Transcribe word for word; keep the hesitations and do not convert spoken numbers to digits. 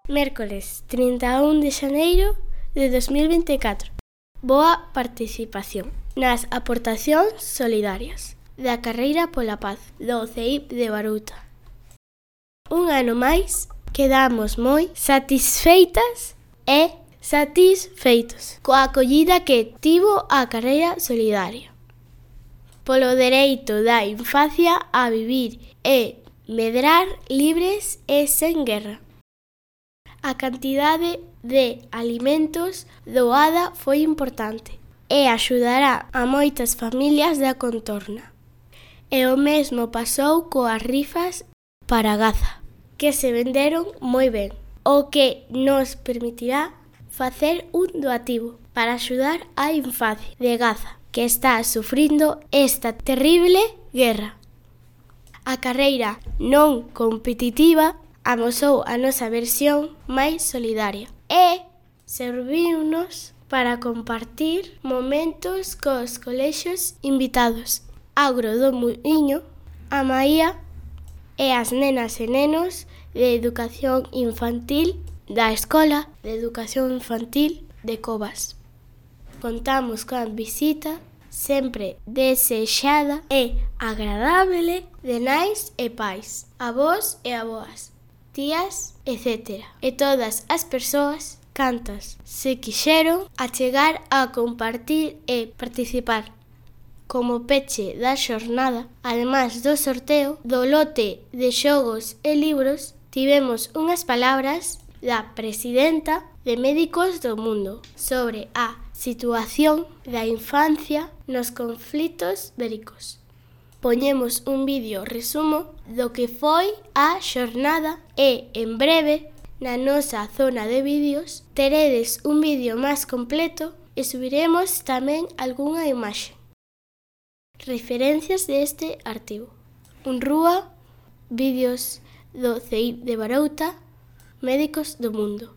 Mércoles trinta e un de xaneiro de dos mil vinte e catro. Boa participación nas aportacións solidarias da Carreira pola Paz do C I P de Barouta. Un ano máis quedamos moi satisfeitas e satisfeitos coa acollida que tivo a Carreira Solidaria polo dereito da infancia a vivir e medrar libres e sen guerra. A cantidade de alimentos doada foi importante e axudará a moitas familias da contorna. E o mesmo pasou coas rifas para Gaza, que se venderon moi ben, o que nos permitirá facer un doativo para axudar a infancia de Gaza, que está sufrindo esta terrible guerra. A carreira non competitiva amosou a nosa versión máis solidaria e serviunos para compartir momentos cos colexios invitados. Agro do Muiño, a Maía e as nenas e nenos de educación infantil da Escola de Educación Infantil de Covas. Contamos coa visita sempre desexada e agradable de nais e pais, avós e avoas, tías, etcétera. E todas as persoas cantas se quixeron achegar a compartir e participar. Como peche da xornada, ademais do sorteo do lote de xogos e libros, tivemos unhas palabras da presidenta de Médicos do Mundo sobre a situación da infancia nos conflitos bélicos. Poñemos un vídeo resumo do que foi a xornada e, en breve, na nosa zona de vídeos, teredes un vídeo máis completo e subiremos tamén algunha imaxe. Referencias deste artigo: Unrúa, vídeos do C I P de Barouta, Médicos do Mundo.